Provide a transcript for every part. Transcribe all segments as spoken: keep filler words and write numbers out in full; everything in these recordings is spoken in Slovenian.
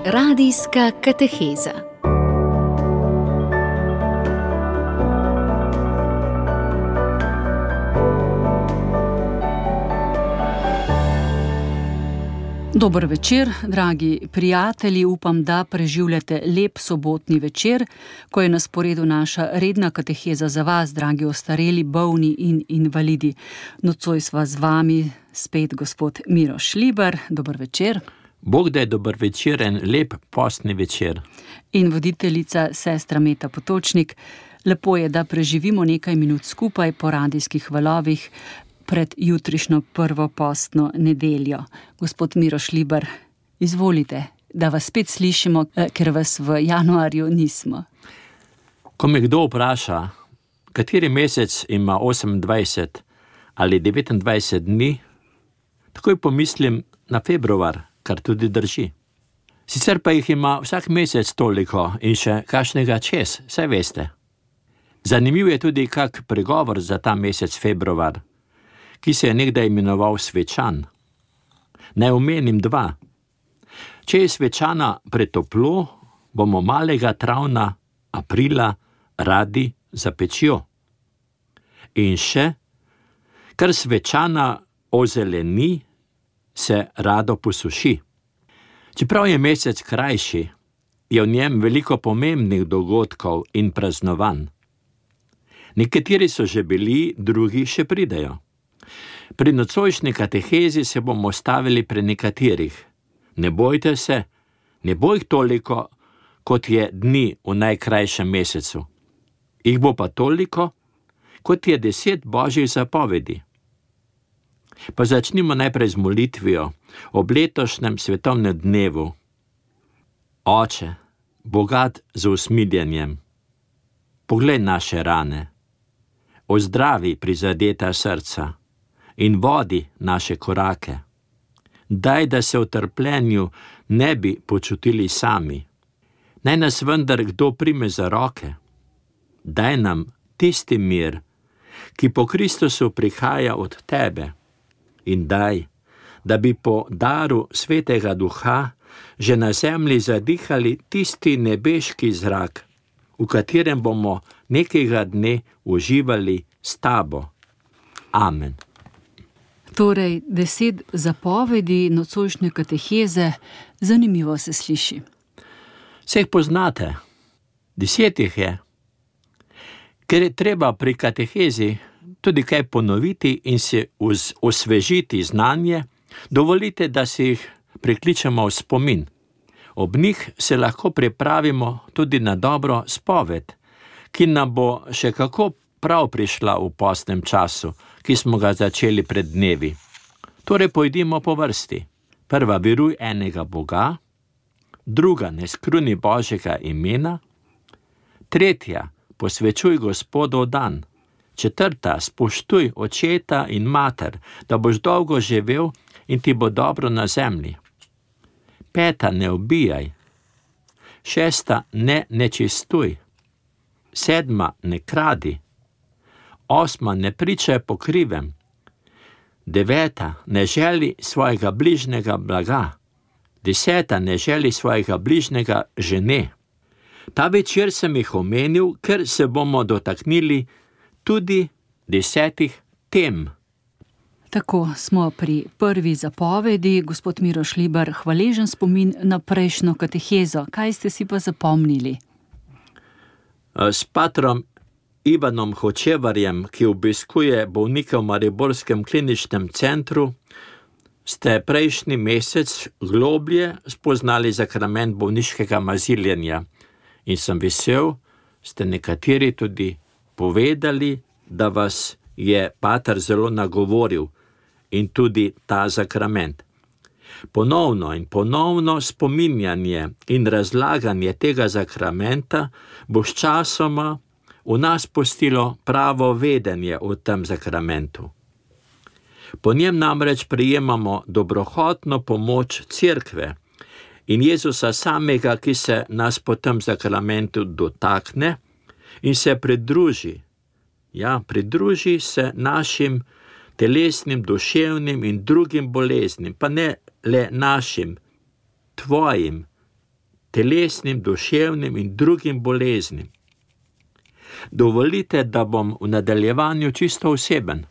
Radijska kateheza. Dober večer, dragi prijatelji, upam, da preživljate lep sobotni večer, ko je na sporedu naša redna kateheza za vas, dragi ostareli, bolni in invalidi. Nocoj sva z vami spet gospod Miroš Šlibar. Dober večer. Bog da je dober večer in lep postni večer. In voditeljica sestra Meta Potočnik. Lepo je, da preživimo nekaj minut skupaj po radijskih valovih pred jutrišnjo prvo postno nedeljo. Gospod Miroš Šlibar, izvolite, da vas spet slišimo, ker vas v januarju nismo. Ko me kdo vpraša, kateri mesec ima osemindvajset ali devetindvajset dni, takoj pomislim na februar, kar tudi drži. Sicer pa jih ima vsak mesec toliko in še kakšnega čez, saj veste. Zanimiv je tudi kak pregovor za ta mesec februar, ki se je nekdaj imenoval svečan. Naj omenim dva. Če je svečana pretoplo, bomo malega travna aprila radi za pečjo. In še, kar svečana ozeleni, se rado posuši. Čeprav je mesec krajši, je v njem veliko pomembnih dogodkov in praznovanj. Nekateri so že bili, drugi še pridejo. Pri nocojšnji katehezi se bomo stavili pri nekaterih. Ne bojte se, ne bo jih toliko, kot je dni v najkrajšem mesecu. Jih bo pa toliko, kot je deset božjih zapovedi. Pa začnimo najprej z molitvijo ob letošnjem svetovnem dnevu. Oče, bogat z usmiljenjem, poglej naše rane, ozdravi prizadeta srca in vodi naše korake. Daj, da se v trpljenju ne bi počutili sami. Naj nas vendar kdo prime za roke. Daj nam tisti mir, ki po Kristusu prihaja od tebe. In daj, da bi po daru Svetega Duha že na zemlji zadihali tisti nebeški zrak, v katerem bomo nekega dne uživali s tabo. Amen. Torej, deset zapovedi nocojšnje kateheze, zanimivo se sliši. Se jih poznate? Deset jih je. Ker je treba pri katehezi tudi kaj ponoviti in si osvežiti znanje, dovolite, da si jih prikličemo v spomin. Ob njih se lahko pripravimo tudi na dobro spoved, ki nam bo še kako prav prišla v postnem času, ki smo ga začeli pred dnevi. Torej pojdimo po vrsti. Prva, veruj enega Boga, druga, ne skruni Božjega imena, tretja, posvečuj Gospodov dan, četrta, spoštuj očeta in mater, da boš dolgo živel in ti bo dobro na zemlji. Peta, ne ubijaj. Šesta, ne nečistuj. Sedma, ne kradi. Osma, ne pričaj po krivem. Deveta, ne želi svojega bližnjega blaga. Deseta, ne želi svojega bližnjega žene. Ta večer sem jih omenil, ker se bomo dotaknili tudi desetih tem. Tako smo pri prvi zapovedi. Gospod Miroš Šlibar, hvaležen spomin na prejšnjo katehezo. Kaj ste si pa zapomnili? S patrom Ivanom Hočevarjem, ki obiskuje bolnike v mariborskem kliničnem centru, ste prejšnji mesec globlje spoznali sakrament bolniškega maziljenja. In sem vesel, ste nekateri tudi povedali, da vas je pater zelo nagovoril in tudi ta sakrament. Ponovno in ponovno spominjanje in razlaganje tega sakramenta bo s časoma v nas pustilo pravo vedenje o tem sakramentu. Po njem namreč prejemamo dobrohotno pomoč Cerkve in Jezusa samega, ki se nas po tem sakramentu dotakne in se pridruži. Ja, pridruži se našim telesnim, duševnim in drugim boleznim, pa ne le našim, tvojim telesnim, duševnim in drugim boleznim. Dovolite, da bom v nadaljevanju čisto oseben.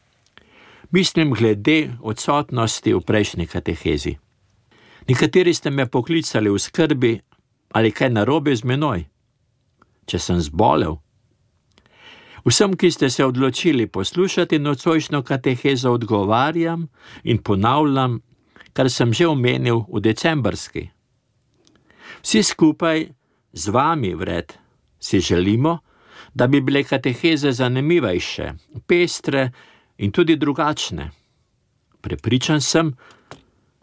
Mislim glede odsotnosti v prejšnji katehezi. Nekateri ste me poklicali v skrbi, ali kaj narobe z menoj, če sem zbolel. Vsem, ki ste se odločili poslušati nocojšnjo katehezo, odgovarjam in ponavljam, kar sem že omenil v decembrski. Vsi skupaj z vami, vred, si želimo, da bi bile kateheze zanimivejše, pestre in tudi drugačne. Prepričan sem,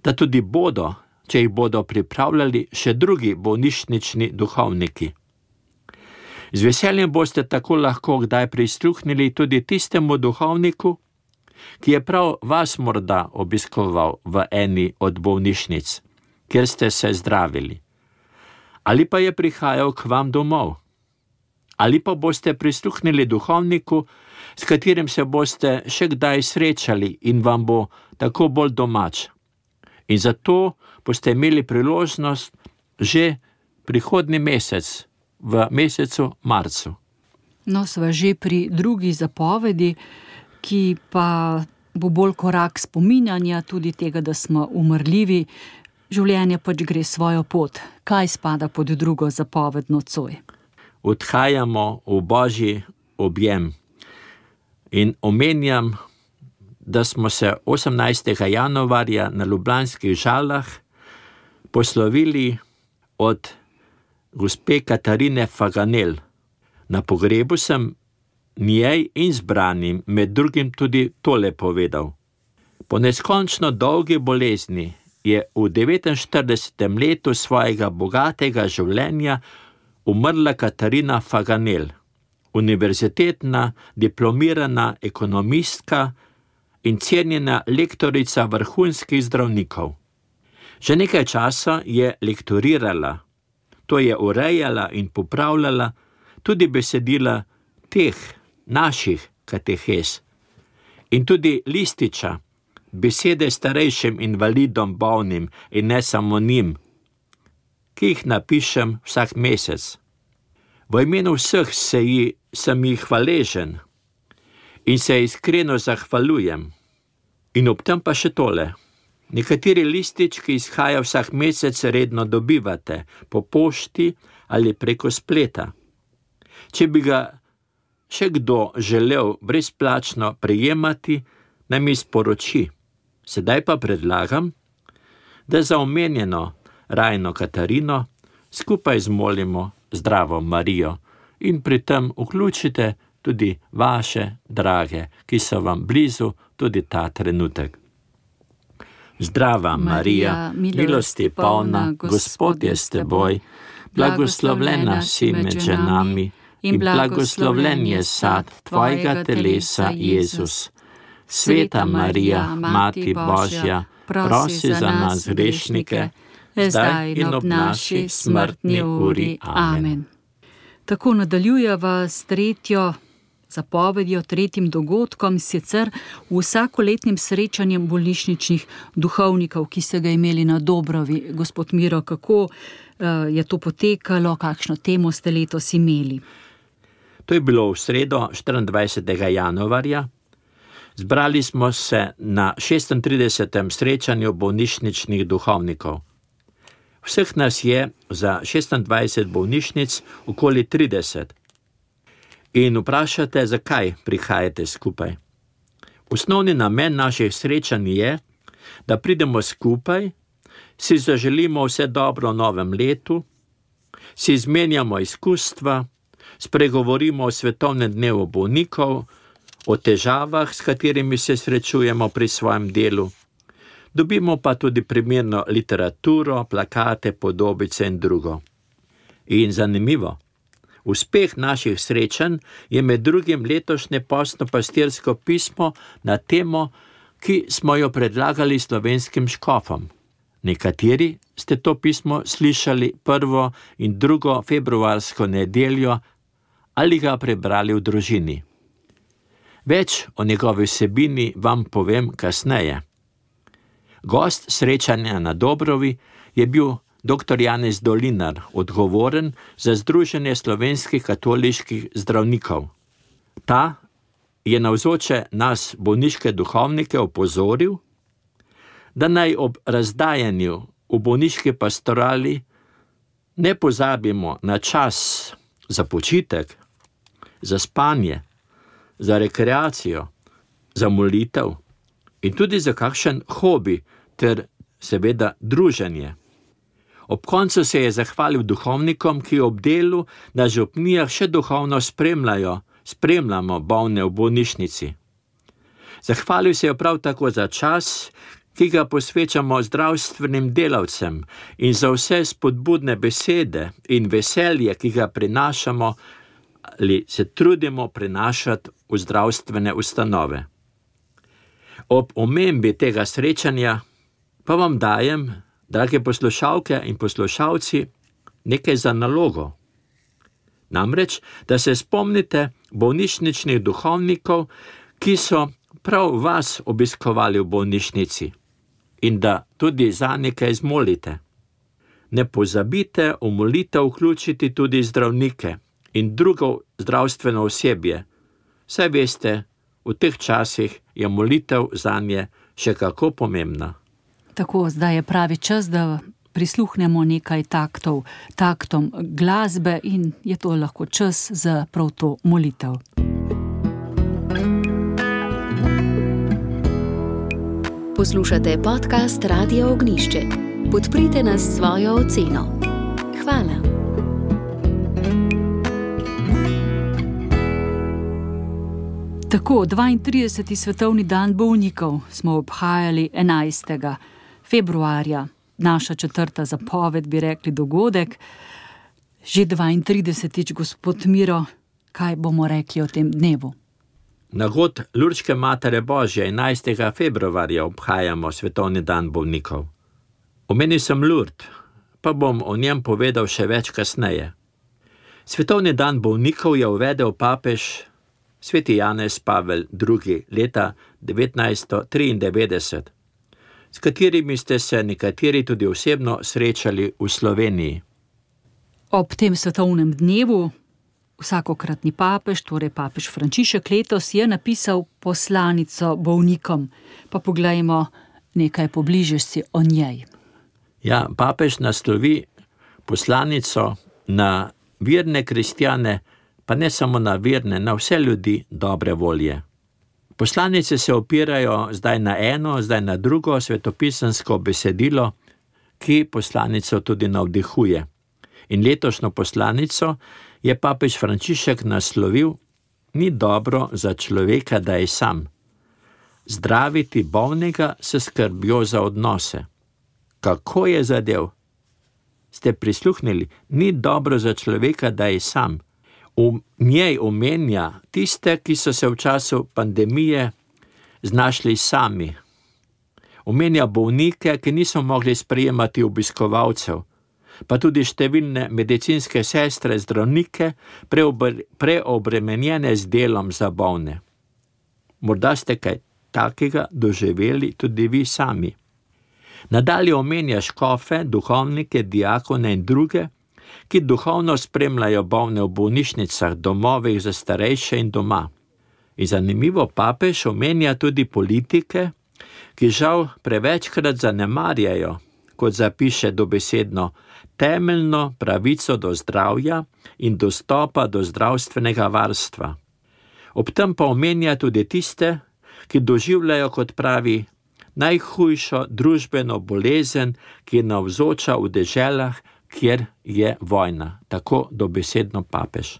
da tudi bodo, če jih bodo pripravljali še drugi bolnišnični duhovniki. Z veseljem boste tako lahko kdaj prisluhnili tudi tistemu duhovniku, ki je prav vas morda obiskoval v eni od bolnišnic, kjer ste se zdravili. Ali pa je prihajal k vam domov. Ali pa boste prisluhnili duhovniku, s katerim se boste še kdaj srečali in vam bo tako bolj domač. In zato boste imeli priložnost že prihodnji mesec, v mesecu marcu. No, sva že pri drugi zapovedi, ki pa bo bolj korak spominjanja tudi tega, da smo umrljivi. Življenje pač gre svojo pot. Kaj spada pod drugo zapoved nocoj? Odhajamo v Božji objem. In omenjam, da smo se osemnajstega januarja na Ljubljanskih Žalah poslovili od gospe Katarine Faganel. Na pogrebu sem njej in zbranim med drugim tudi tole povedal. Po neskončno dolgi bolezni je v devetinštiridesetem letu svojega bogatega življenja umrla Katarina Faganel, univerzitetna diplomirana ekonomistka in cenjena lektorica vrhunskih zdravnikov. Že nekaj časa je lektorirala, to je urejala in popravljala tudi besedila teh naših katehez in tudi lističa, besede starejšim invalidom, bolnim in ne samo njim, ki jih napišem vsak mesec. V imenu vseh se ji, sem jih hvaležen in se iskreno zahvaljujem. In ob tem pa še tole. Nekateri listič, ki izhaja vsak mesec, redno dobivate po pošti ali preko spleta. Če bi ga še kdo želel brezplačno prejemati, naj mi sporoči. Sedaj pa predlagam, da za omenjeno Rajno Katarino skupaj zmolimo Zdravo Marijo in pri tem vključite tudi vaše drage, ki so vam blizu tudi ta trenutek. Zdrava Marija, milosti polna, Gospod je s teboj, blagoslovljena si med ženami in blagoslovljen je sad tvojega telesa, Jezus. Sveta Marija, Mati Božja, prosi za nas grešnike, zdaj in ob naši smrtni uri. Amen. Tako nadaljujeva s tretjo zapovedjo, tretjim dogodkom, sicer v vsakoletnim srečanjem bolnišničnih duhovnikov, ki ste ga imeli na Dobrovi. Gospod Miro, kako uh, je to potekalo, kakšno temo ste letos imeli? To je bilo v sredo, štiriindvajsetega januarja. Zbrali smo se na šestintridesetem srečanju bolnišničnih duhovnikov. Vseh nas je za šestindvajset bolnišnic okoli trideset. In vprašate, zakaj prihajate skupaj. Osnovni namen naših srečanj je, da pridemo skupaj, si zaželimo vse dobro v novem letu, si izmenjamo izkustva, spregovorimo o svetovnem dnevu bolnikov, o težavah, s katerimi se srečujemo pri svojem delu. Dobimo pa tudi primerno literaturo, plakate, podobice in drugo. In zanimivo, uspeh naših srečanj je med drugim letošnje postno-pastirsko pismo na temo, ki smo jo predlagali slovenskim škofom. Nekateri ste to pismo slišali prvo in drugo februarsko nedeljo ali ga prebrali v družini. Več o njegovi vsebini vam povem kasneje. Gost srečanja na Dobrovi je bil doktor Janez Dolinar, odgovoren za Združenje slovenskih katoliških zdravnikov. Ta je navzoče nas, bolniške duhovnike, opozoril, da naj ob razdajanju v bolniški pastorali ne pozabimo na čas za počitek, za spanje, za rekreacijo, za molitev in tudi za kakšen hobi ter seveda druženje. Ob koncu se je zahvalil duhovnikom, ki ob delu na župnijah še duhovno spremljajo, spremljamo bolne v bolnišnici. Zahvalil se je prav tako za čas, ki ga posvečamo zdravstvenim delavcem in za vse spodbudne besede in veselje, ki ga prinašamo ali se trudimo prinašati v zdravstvene ustanove. Ob omembi tega srečanja pa vam dajem, drage poslušalke in poslušalci, nekaj za nalogo. Namreč, da se spomnite bolnišničnih duhovnikov, ki so prav vas obiskovali v bolnišnici in da tudi za nekaj zmolite. Ne pozabite v molitev vključiti tudi zdravnike in drugo zdravstveno osebje. Saj veste, v teh časih je molitev zanje še kako pomembna. Tako, zdaj je pravi čas, da prisluhnemo nekaj taktov, taktom glasbe in je to lahko čas za prav to molitev. Poslušate podcast Radia Ognjišče. Podprite nas s svojo oceno. Hvala. Tako, dvaintrideseti svetovni dan bolnikov smo obhajali enajstega februarja. Naša četrta zapoved, bi rekli, dogodek. Že dvaintridesetič, gospod Miro, kaj bomo rekli o tem dnevu? Na god Lurdske Matere Božje enajstega februarja obhajamo svetovni dan bolnikov. Omenil sem Lurd, pa bom o njem povedal še več kasneje. Svetovni dan bolnikov je uvedel papež sveti Janez Pavel drugi leta devetnajststo triindevetdeset, s katerimi ste se nekateri tudi osebno srečali v Sloveniji. Ob tem svetovnem dnevu vsakokratni papež, torej papež Frančišek, letos je napisal poslanico bolnikom. Pa poglejmo nekaj pobliže si o njej. Ja, papež naslovi poslanico na verne kristjane, pa ne samo na verne, na vse ljudi dobre volje. Poslanice se opirajo zdaj na eno, zdaj na drugo svetopisansko besedilo, ki poslanico tudi navdihuje. In letošnjo poslanico je papež Frančišek naslovil: Ni dobro za človeka, da je sam. Zdraviti bolnega s skrbjo za odnose. Kako je zadev? Ste prisluhnili? Ni dobro za človeka, da je sam. V njej omenja tiste, ki so se v času pandemije znašli sami. Omenja bolnike, ki niso mogli sprejemati obiskovalcev, pa tudi številne medicinske sestre, zdravnike, preobremenjene z delom za bolne. Morda ste kaj takega doživeli tudi vi sami. Nadalje omenja škofe, duhovnike, diakone in druge, ki duhovno spremljajo bolne v bolnišnicah, domovih za starejše in doma. In zanimivo, papež omenja tudi politike, ki žal prevečkrat zanemarjajo, kot zapiše dobesedno, temeljno pravico do zdravja in dostopa do zdravstvenega varstva. Ob tem pa omenja tudi tiste, ki doživljajo, kot pravi, najhujšo družbeno bolezen, ki je navzoča v deželah, kjer je vojna. Tako dobesedno papež.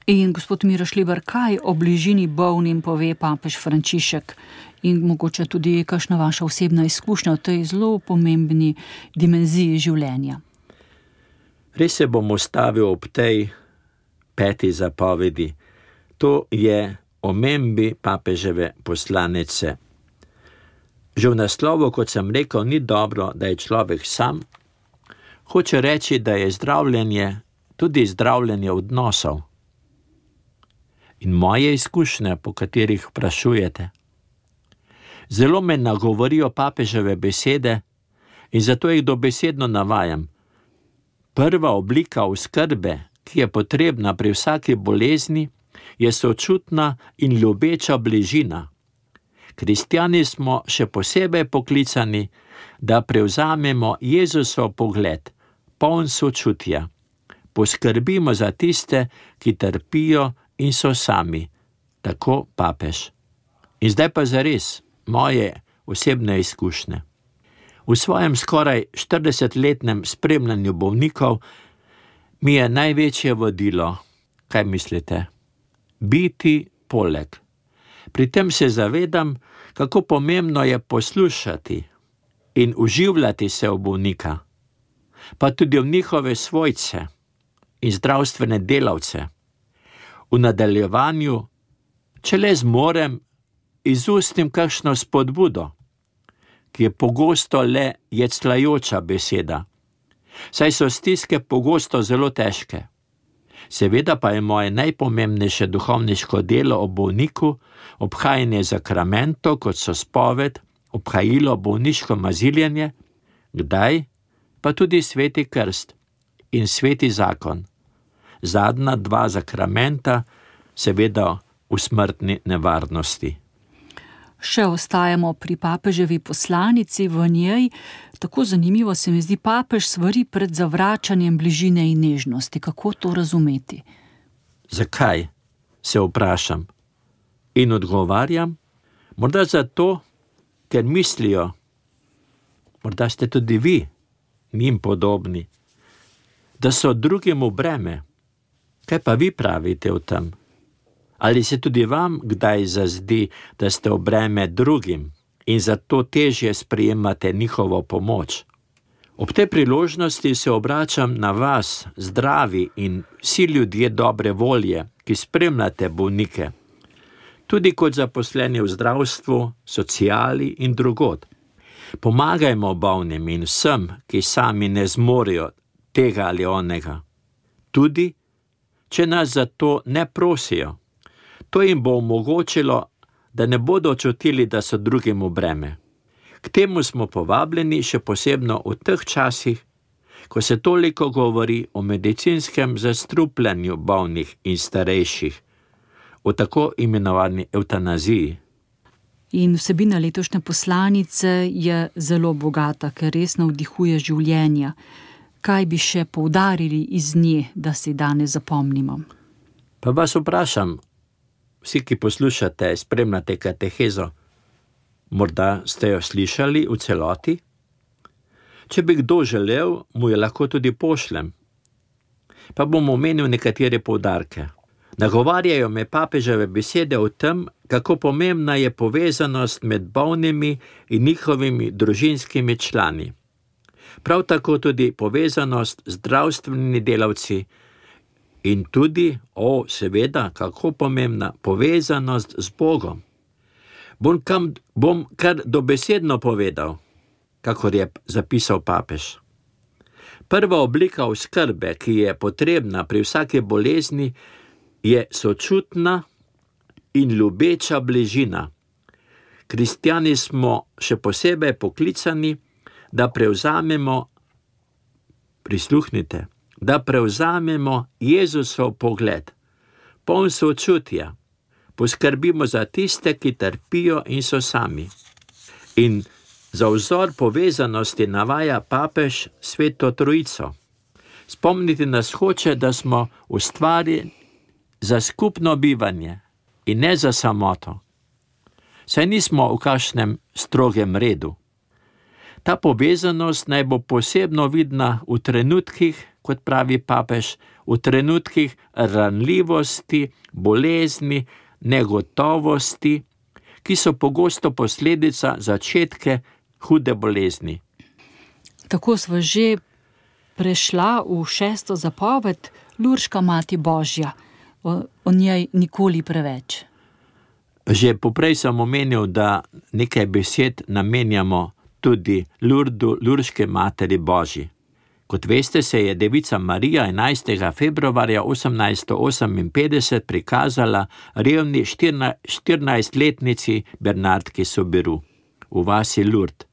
In gospod Miro Šlibar, kaj o bližini bolnim pove papež Frančišek in mogoče tudi kakšna vaša osebna izkušnja v tej zelo pomembni dimenziji življenja? Res se bom ustavil ob tej peti zapovedi. To je omembi papeževe poslanice. Že v naslovu, kot sem rekel, ni dobro, da je človek sam. Hoče reči, da je zdravljenje tudi zdravljenje odnosov. In moje izkušnje, po katerih vprašujete. Zelo me nagovorijo papeževe besede: In zato jih dobesedno navajam. Prva oblika oskrbe, ki je potrebna pri vsaki bolezni, je sočutna in ljubeča bližina. Kristjani smo še posebej poklicani, da prevzamemo Jezusov pogled, poln sočutja. Poskrbimo za tiste, ki trpijo in so sami, tako papež. In zdaj pa zares moje osebne izkušnje. V svojem skoraj štiridesetletnem spremljanju bolnikov mi je največje vodilo, kaj mislite? Biti poleg. Pri tem se zavedam, kako pomembno je poslušati in uživljati se v bolnika, pa tudi v njihove svojce in zdravstvene delavce. V nadaljevanju, če le zmorem, izustim kakšno spodbudo, ki je pogosto le jecljajoča beseda, saj so stiske pogosto zelo težke. Seveda pa je moje najpomembnejše duhovniško delo o bolniku obhajanje zakramentov, kot so spoved, obhajilo, bolniško maziljenje, kdaj pa tudi sveti krst in sveti zakon. Zadnja dva zakramenta, seveda v smrtni nevarnosti. Še ostajamo pri papeževi poslanici, v njej, tako zanimivo se mi zdi, papež svari pred zavračanjem bližine in nežnosti. Kako to razumeti? Zakaj, se vprašam. In odgovarjam, morda zato, ker mislijo, morda ste tudi vi njim podobni, da so drugemu breme. Kaj pa vi pravite o tem? Ali se tudi vam kdaj zazdi, da ste v breme drugim in zato težje sprejemate njihovo pomoč? Ob tej priložnosti se obračam na vas, zdravi in vsi ljudje dobre volje, ki spremljate bolnike, tudi kot zaposleni v zdravstvu, sociali in drugod. Pomagajmo bolnim in vsem, ki sami ne zmorejo tega ali onega. Tudi, če nas za to ne prosijo. To jim bo omogočilo, da ne bodo čutili, da so drugim v breme. K temu smo povabljeni še posebno v teh časih, ko se toliko govori o medicinskem zastrupljanju bolnih in starejših, o tako imenovani evtanaziji. In vsebina letošnje poslanice je zelo bogata, ker res navdihuje življenja. Kaj bi še poudarili iz nje, da si danes zapomnimo? Pa vas vprašam, vsi, ki poslušate, spremljate katehezo, morda ste jo slišali v celoti? Če bi kdo želel, mu jo lahko tudi pošljem. Pa bom omenil nekatere poudarke. Nagovarjajo me papeževe besede o tem, kako pomembna je povezanost med bolnimi in njihovimi družinskimi člani. Prav tako tudi povezanost z zdravstvenimi delavci in tudi, o, seveda, kako pomembna, povezanost z Bogom. Bom, kam, bom kar dobesedno povedal, kakor je zapisal papež. Prva oblika oskrbe, ki je potrebna pri vsaki bolezni, je sočutna in ljubeča bližina. Kristjani smo še posebej poklicani, da prevzamemo, prisluhnite, da prevzamemo Jezusov pogled, poln sočutja, poskrbimo za tiste, ki trpijo in so sami. In za vzor povezanosti navaja papež Sveto Trojico. Spomniti nas hoče, da smo ustvarjeni za skupno bivanje in ne za samoto. Saj nismo v kakšnem strogem redu. Ta povezanost naj bo posebno vidna v trenutkih, kot pravi papež, v trenutkih ranljivosti, bolezni, negotovosti, ki so pogosto posledica začetke hude bolezni. Tako sva že prešla v šesto zapoved, Lurška mati Božja. O, o njej nikoli preveč. Že poprej sem omenil, da nekaj besed namenjamo tudi Lurdu, Lurške materi Božji. Kot veste, se je devica Marija enajstega februarja osemnajststo oseminpetdeset prikazala revni štirinajstletnici Bernardki Sobiru v vasi Lurd.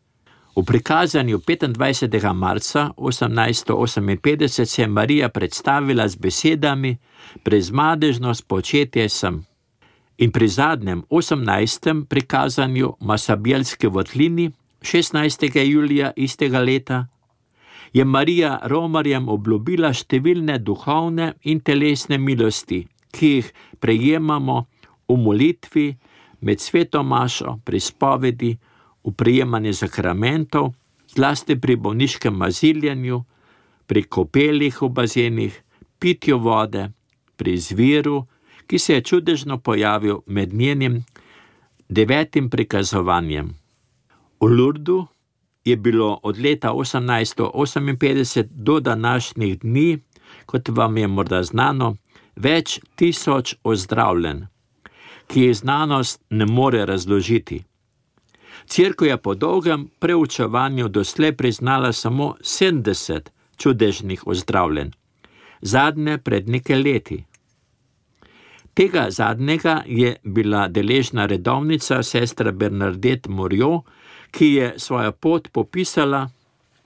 V prikazanju petindvajsetega marca osemnajststo oseminpetdeset se je Marija predstavila z besedami: "Prezmadežno spočetje sem." In pri zadnjem osemnajstem prikazanju Masabjelske votlini šestnajstega julija istega leta je Marija romarjem obljubila številne duhovne in telesne milosti, ki jih prejemamo v molitvi, med sveto mašo, pri spovedi, v prejemanju sakramentov, zlasti pri bolniškem maziljenju, pri kopelih v bazenih, pitju vode, pri zviru, ki se je čudežno pojavil med njenim devetim prikazovanjem. V Lurdu je bilo od leta osemnajststo oseminpetdeset do današnjih dni, kot vam je morda znano, več tisoč ozdravljenj, ki jih znanost ne more razložiti. Cerkev je po dolgem preučevanju doslej priznala samo sedemdeset čudežnih ozdravljenj, zadnje pred nekaj leti. Tega zadnjega je bila deležna redovnica sestra Bernadette Mouriot, ki je svojo pot popisala,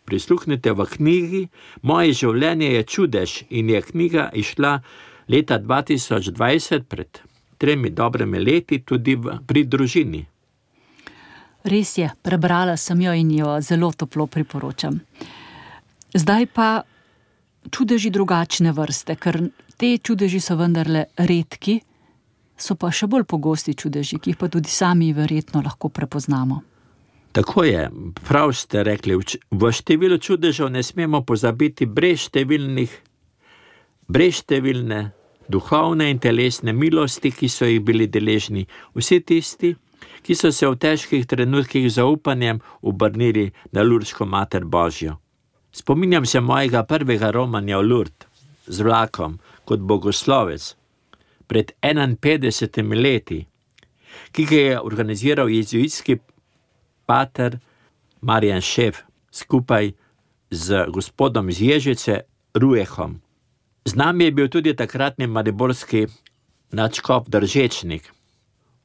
prisluhnite, v knjigi Moje življenje je čudež, in je knjiga išla leta dva tisoč dvajset, pred tremi dobrimi leti, tudi v, pri družini. Res je, prebrala sem jo in jo zelo toplo priporočam. Zdaj pa čudeži drugačne vrste, ker te čudeži so vendarle redki, so pa še bolj pogosti čudeži, ki jih pa tudi sami verjetno lahko prepoznamo. Tako je, prav ste rekli, v številu čudežev ne smemo pozabiti brezštevilnih, brezštevilne duhovne in telesne milosti, ki so jih bili deležni vsi tisti, ki so se v težkih trenutkih z zaupanjem obrnili na Lurdsko Mater Božjo. Spominjam se mojega prvega romanja v Lurd z vlakom kot bogoslovec pred enainpetdesetimi leti, ki ga je organiziral jezuitski pater Marjan Šef skupaj z gospodom iz Ježice Rujehom. Z nami je bil tudi takratni mariborski nadškof Držečnik.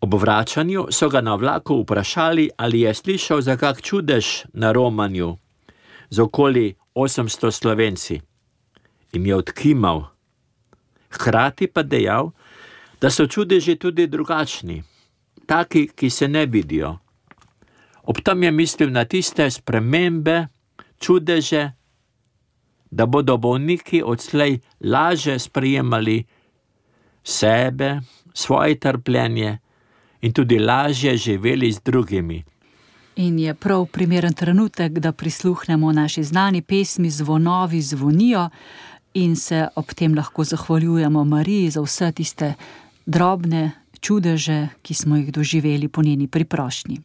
Ob vračanju so ga na vlaku vprašali, ali je slišal za kak čudež na romanju z okoli osemsto Slovenci. In je odkimal. Hkrati pa dejal, da so čudeži tudi drugačni, taki, ki se ne vidijo. Ob tem je mislil na tiste spremembe, čudeže, da bodo bolniki odslej laže sprejemali sebe, svoje trpljenje in tudi lažje živeli z drugimi. In je prav primeren trenutek, da prisluhnemo naši znani pesmi Zvonovi zvonijo in se ob tem lahko zahvaljujemo Mariji za vse tiste drobne čudeže, ki smo jih doživeli po njeni priprošnji.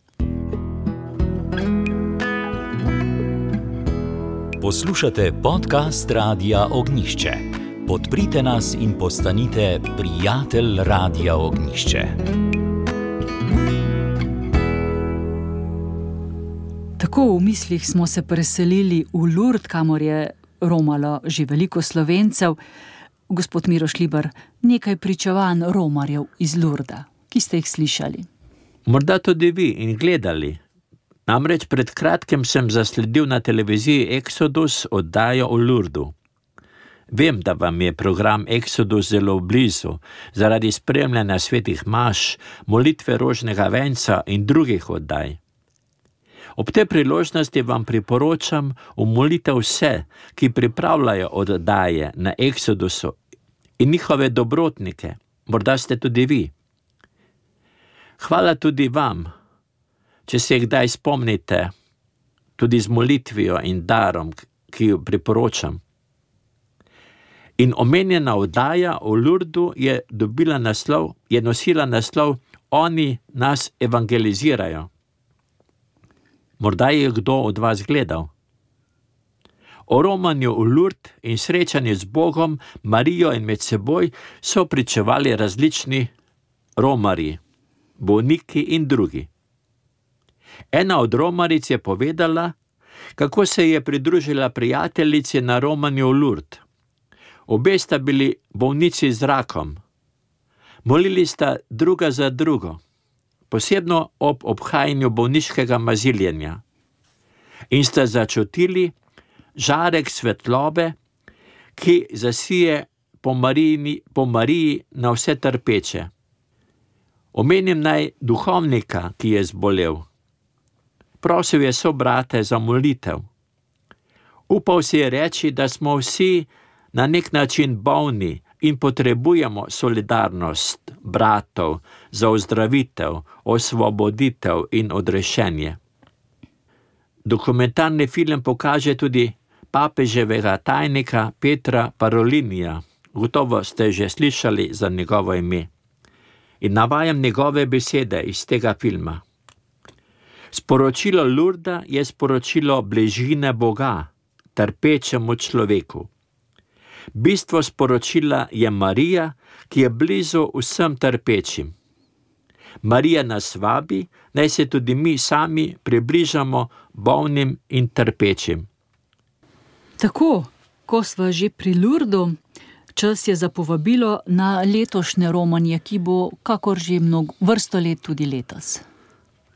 Poslušate podcast Radia Ognišče. Podprite nas in postanite prijatelj Radia Ognišče. Tako v mislih smo se preselili v Lurd, kamor je romalo že veliko Slovencev. Gospod Miroš Libar, nekaj pričevanj romarjev iz Lurda, ki ste jih slišali. Morda tudi vi in gledali. Namreč pred kratkim sem zasledil na televiziji Exodus oddajo o Lurdu. Vem, da vam je program Exodus zelo blizu, zaradi spremljanja svetih maš, molitve rožnega venca in drugih oddaj. Ob tej priložnosti vam priporočam umolitev vse, ki pripravljajo oddaje na Exodusu in njihove dobrotnike, morda ste tudi vi. Hvala tudi vam, če se kdaj spomnite, tudi z molitvijo in darom, ki jo priporočam. In omenjena oddaja o Lurdu je dobila naslov, je nosila naslov Oni nas evangelizirajo. Morda je kdo od vas gledal. O romanju v Lurd in srečanju z Bogom, Marijo in med seboj so pričevali različni romarji, bolniki in drugi. Ena od romaric je povedala, kako se je pridružila prijateljici na romanju v Lurd. Obe sta bili bolnici z rakom. Molili sta druga za drugo, posebno ob obhajanju bolniškega maziljenja. in sta začutili žarek svetlobe, ki zasije po Mariji, po Mariji na vse trpeče. Omenim naj duhovnika, ki je zbolel. Prosil je sobrate za molitev. Upal si je reči, da smo vsi na nek način bolni in potrebujemo solidarnost bratov za ozdravitev, osvoboditev in odrešenje. Dokumentarni film pokaže tudi papeževega tajnika Petra Parolinija. Gotovo ste že slišali za njegovo ime. In navajam njegove besede iz tega filma. Sporočilo Lurda je sporočilo bližine Boga, trpečemu človeku. Bistvo sporočila je Marija, ki je blizu vsem trpečim. Marija nas vabi, naj se tudi mi sami približamo bolnim in trpečim. Tako, ko sva že pri Lurdu, čas je za povabilo na letošnje romanje, ki bo kakor že mnogo vrsto let tudi letos.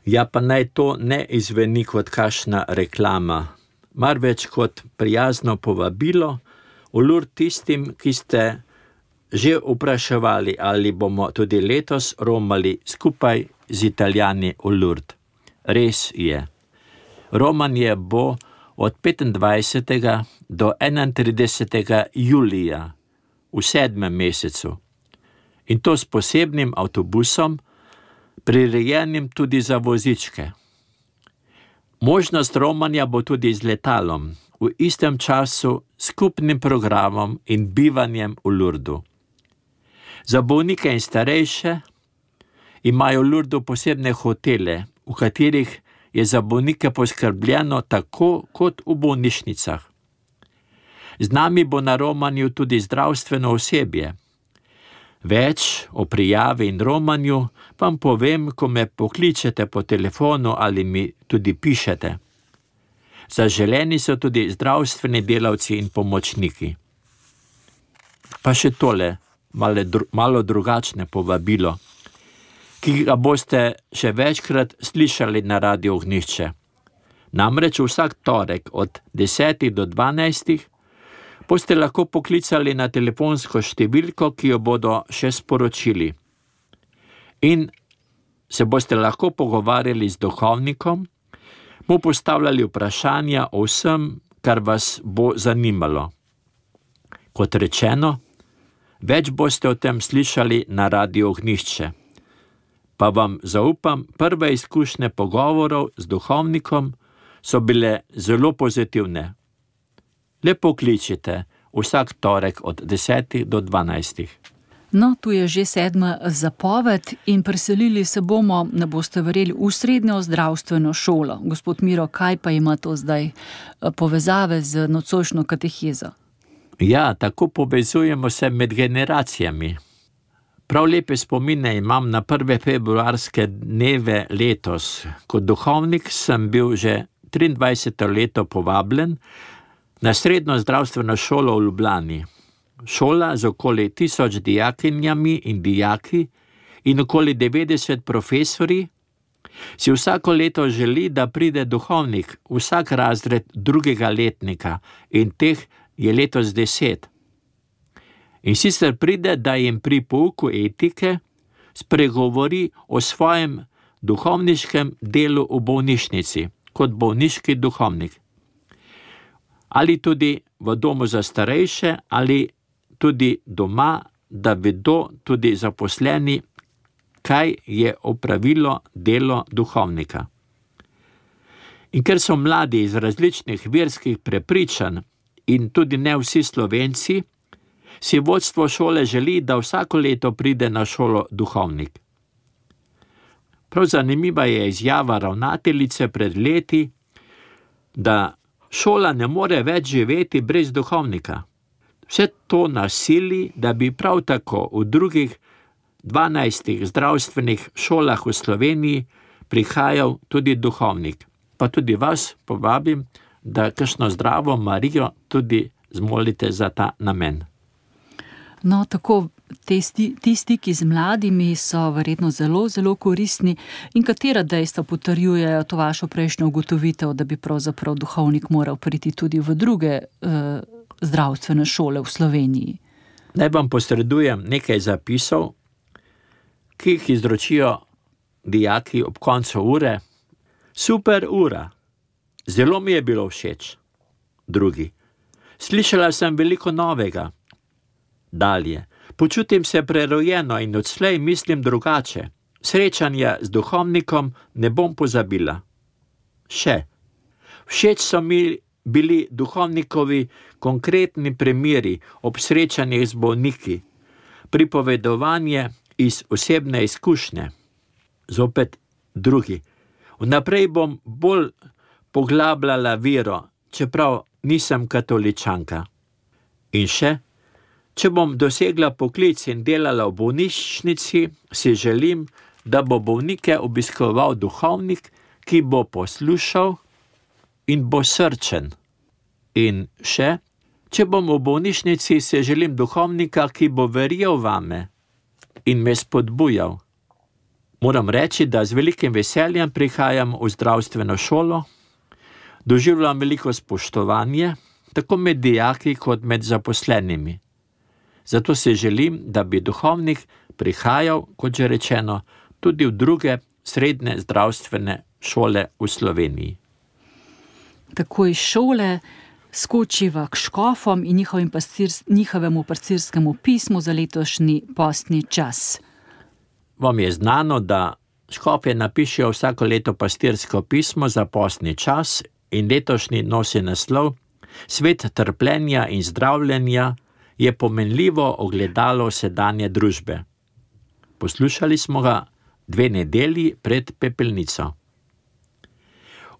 Ja, pa naj to ne izveni kot kakšna reklama, marveč kot prijazno povabilo v Lurd tistim, ki ste že vpraševali, ali bomo tudi letos romali skupaj z Italijani v Lurd. Res je. Romanje bo od petindvajsetega do enaintridesetega julija v sedmem mesecu. In to s posebnim avtobusom, prirejenim tudi za vozičke. Možnost romanja bo tudi z letalom, v istem času skupnim programom in bivanjem v Lurdu. Za bolnike in starejše imajo v Lurdu posebne hotele, v katerih je za bolnike poskrbljeno tako kot v bolnišnicah. Z nami bo na romanju tudi zdravstveno osebje. Več o prijavi in romanju vam povem, ko me pokličete po telefonu ali mi tudi pišete. Zaželeni so tudi zdravstveni delavci in pomočniki. Pa še tole, malo, dru- malo drugačne povabilo, ki ga boste še večkrat slišali na Radio Ognjišče. Namreč vsak torek od desetih do dvanajstih boste lahko poklicali na telefonsko številko, ki jo bodo še sporočili. In se boste lahko pogovarjali z duhovnikom, mu postavljali vprašanja o vsem, kar vas bo zanimalo. Kot rečeno, več boste o tem slišali na Radio Ognjišče. Pa vam zaupam, prve izkušnje pogovorov z duhovnikom so bile zelo pozitivne. Le pokličite vsak torek od desetih do dvanajstih. No, tu je že sedma zapoved in preselili se bomo, ne boste verjeli, v srednjo zdravstveno šolo. Gospod Miro, kaj pa ima to zdaj povezave z nocojšnjo katehezo? Ja, tako povezujemo se med generacijami. Prav lepe spomine imam na prve februarske dneve letos. Kot duhovnik sem bil že triindvajseto leto povabljen na srednjo zdravstveno šolo v Ljubljani. Šola z okoli tisoč dijakinjami in dijaki in okoli devetdeset profesorji si vsako leto želi, da pride duhovnik vsak razred drugega letnika in teh je letos deset. In sicer pride, da jim pri pouku etike spregovori o svojem duhovniškem delu v bolnišnici, kot bolniški duhovnik. Ali tudi v domu za starejše, ali tudi doma, da vedo tudi zaposleni, kaj je opravilo delo duhovnika. In ker so mladi iz različnih verskih prepričanj in tudi ne vsi Slovenci, si vodstvo šole želi, da vsako leto pride na šolo duhovnik. Prav zanimiva je izjava ravnateljice pred leti, da šola ne more več živeti brez duhovnika. Vse to nas sili, da bi prav tako v drugih dvanajstih zdravstvenih šolah v Sloveniji prihajal tudi duhovnik. Pa tudi vas povabim, da kakšno zdravo Marijo tudi zmolite za ta namen. No, tako te sti, ti stiki z mladimi so verjetno zelo, zelo koristni. In katera dejstva potrjujejo to vašo prejšnjo ugotovitev, da bi pravzaprav duhovnik moral priti tudi v druge eh, zdravstvene šole v Sloveniji? Naj vam posredujem nekaj zapisov, ki jih izročijo dijaki ob koncu ure. Super ura, zelo mi je bilo všeč. Drugi, slišala sem veliko novega. Dalje, počutim se prerojeno in odslej mislim drugače. Srečanja z duhovnikom ne bom pozabila. Še, všeč so mi bili duhovnikovi konkretni primeri ob srečanjih z bolniki, pripovedovanje iz osebne izkušnje. Zopet drugi, vnaprej bom bolj poglabljala vero, čeprav nisem katoličanka. In še, če bom dosegla poklic in delala v bolnišnici, si želim, da bo bolnike obiskoval duhovnik, ki bo poslušal in bo srčen. In še, če bom v bolnišnici, si želim duhovnika, ki bo verjel vame in me spodbujal. Moram reči, da z velikim veseljem prihajam v zdravstveno šolo, doživljam veliko spoštovanje, tako med dijaki kot med zaposlenimi. Zato si želim, da bi duhovnik prihajal, kot že rečeno, tudi v druge srednje zdravstvene šole v Sloveniji. Tako iz šole skočiva k škofom in njihovim pastir, njihovemu pastirskemu pismu za letošnji postni čas. Vam je znano, da škofje napišejo vsako leto pastirsko pismo za postni čas in letošnji nosi naslov Svet trpljenja in zdravljenja je pomenljivo ogledalo sedanje družbe. Poslušali smo ga dve nedelji pred pepelnico.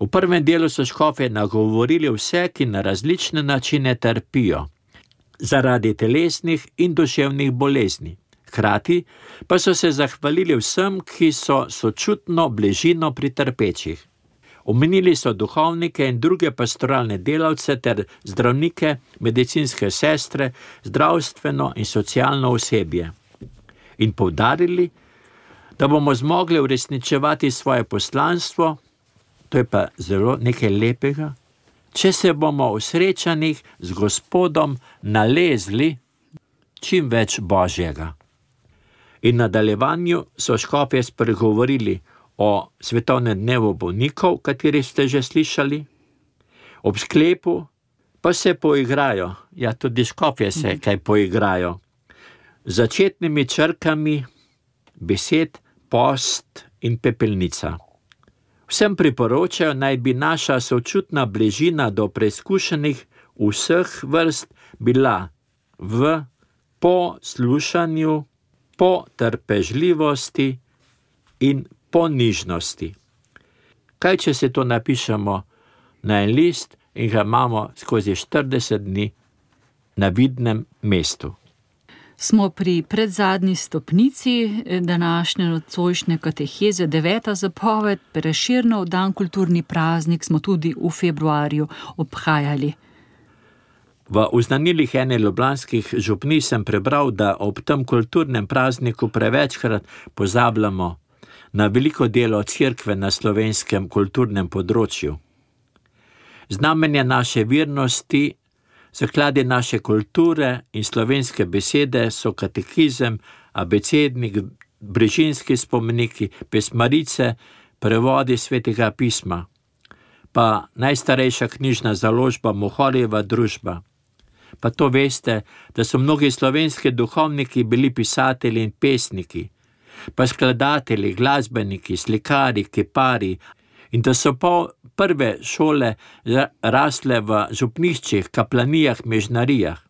V prvem delu so škofje nagovorili vse, ki na različne načine trpijo, zaradi telesnih in duševnih bolezni. Hkrati pa so se zahvalili vsem, ki so sočutno bližino pri trpečih. Omenili so duhovnike in druge pastoralne delavce ter zdravnike, medicinske sestre, zdravstveno in socialno osebje. In poudarili, da bomo zmogli uresničevati svoje poslanstvo, to je pa zelo nekaj lepega, če se bomo v srečanjih z Gospodom nalezli čim več Božjega. In v nadaljevanju so škofje spregovorili o svetovnem dnevu bolnikov, kateri ste že slišali. Ob sklepu pa se poigrajo, ja tudi škofje se kaj poigrajo, z začetnimi črkami besed post in pepelnica. Vsem priporočajo, naj bi naša sočutna bližina do preizkušenih vseh vrst bila v poslušanju, po trpežljivosti in po nižnosti. Kaj, če se to napišemo na en list in ga imamo skozi štirideset dni na vidnem mestu? Smo pri predzadnji stopnici današnje nocojšnje kateheze, deveta zapoved, Prešernov dan, kulturni praznik smo tudi v februarju obhajali. V uznanilih ene ljubljanskih župnij sem prebral, da ob tem kulturnem prazniku prevečkrat pozabljamo na veliko delo cerkve na slovenskem kulturnem področju. Znamenje naše vernosti, zaklade naše kulture in slovenske besede so katekizem, abecednik, brežinski spomeniki, pesmarice, prevodi svetega pisma, pa najstarejša knjižna založba Mohorjeva družba. Pa to veste, da so mnogi slovenski duhovniki bili pisatelji in pesniki, pa skladatelji, glasbeniki, slikari, kipari, in da so pa prve šole rasle v župniščih, kaplanijah, mežnarijah.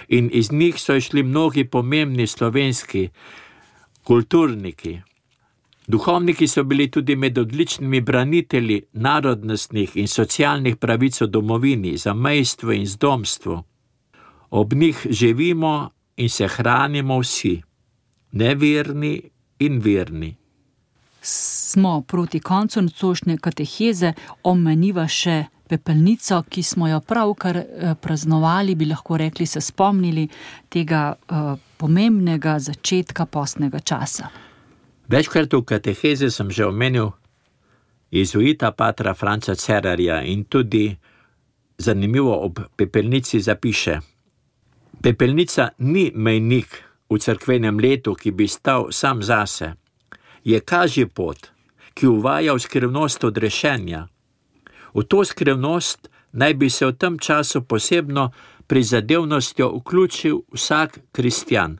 In iz njih so išli mnogi pomembni slovenski kulturniki. Duhovniki so bili tudi med odličnimi branitelji narodnostnih in socialnih pravic v domovini, zamejstvu in zdomstvu. Ob njih živimo in se hranimo vsi, neverni in verni. smo proti koncu nocojšnje kateheze, omeniva še pepelnico, ki smo jo pravkar praznovali, bi lahko rekli, se spomnili tega uh, pomembnega začetka postnega časa. Večkrat v katehezi sem že omenil jezuita patra Franca Cerarja in tudi zanimivo ob pepelnici zapiše: Pepelnica ni mejnik v cerkvenem letu, ki bi stal sam zase. Je kažji pot, ki uvaja v skrivnost odrešenja. V to skrivnost naj bi se v tem času posebno prizadevnostjo vključil vsak kristjan.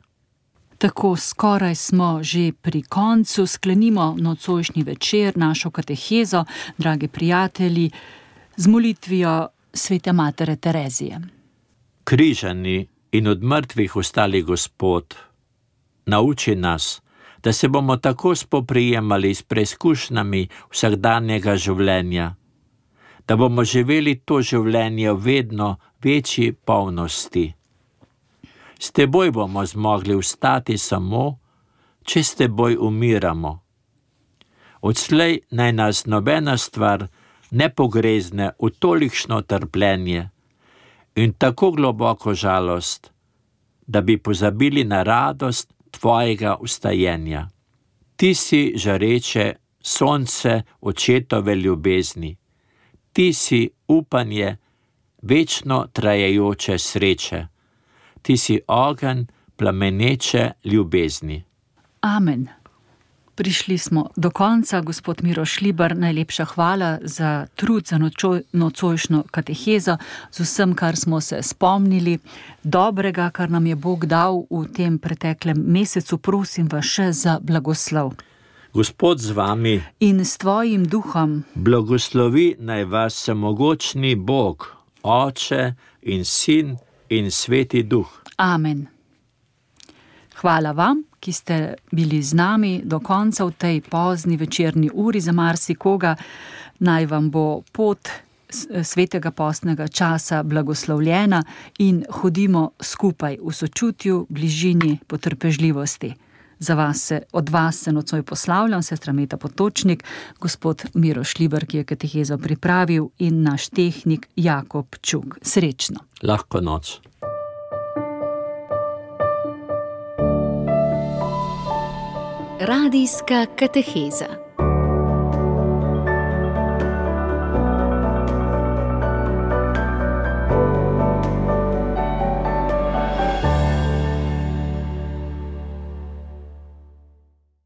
Tako skoraj smo že pri koncu, sklenimo nocojšnji večer, našo katehezo, dragi prijatelji, z molitvijo svete matere Terezije. Križani in od mrtvih vstali Gospod, nauči nas, da se bomo tako spoprijemali s preizkušnjami vsakdanjega življenja, da bomo živeli to življenje v vedno večji polnosti. S teboj bomo zmogli vstati samo, če s teboj umiramo. Odslej naj nas nobena stvar ne pogrezne v tolikšno trpljenje in tako globoko žalost, da bi pozabili na radost tvojega vstajenja. Ti si žareče sonce očetove ljubezni. Ti si upanje večno trajajoče sreče. Ti si ogenj plameneče ljubezni. Amen. Prišli smo do konca, gospod Miroš Šlibar, najlepša hvala za trud za nočo, nocojšnjo katehezo, z vsem, kar smo se spomnili, dobrega, kar nam je Bog dal v tem preteklem mesecu. Prosim vas še za blagoslov. Gospod z vami in s tvojim duhom blagoslovi naj vas vsemogočni Bog, Oče in Sin in Sveti Duh. Amen. Hvala vam, ki ste bili z nami do konca v tej pozni večerni uri. Za marsikoga naj vam bo pot svetega postnega časa blagoslovljena in hodimo skupaj v sočutju, bližini, potrpežljivosti. Za vas se, od vas se nocoj poslavljam, sestra Meta Potočnik, gospod Miroš Šlibar, ki je katehezo pripravil, in naš tehnik Jakob Čuk. Srečno. Lahko noč. Radijska kateheza.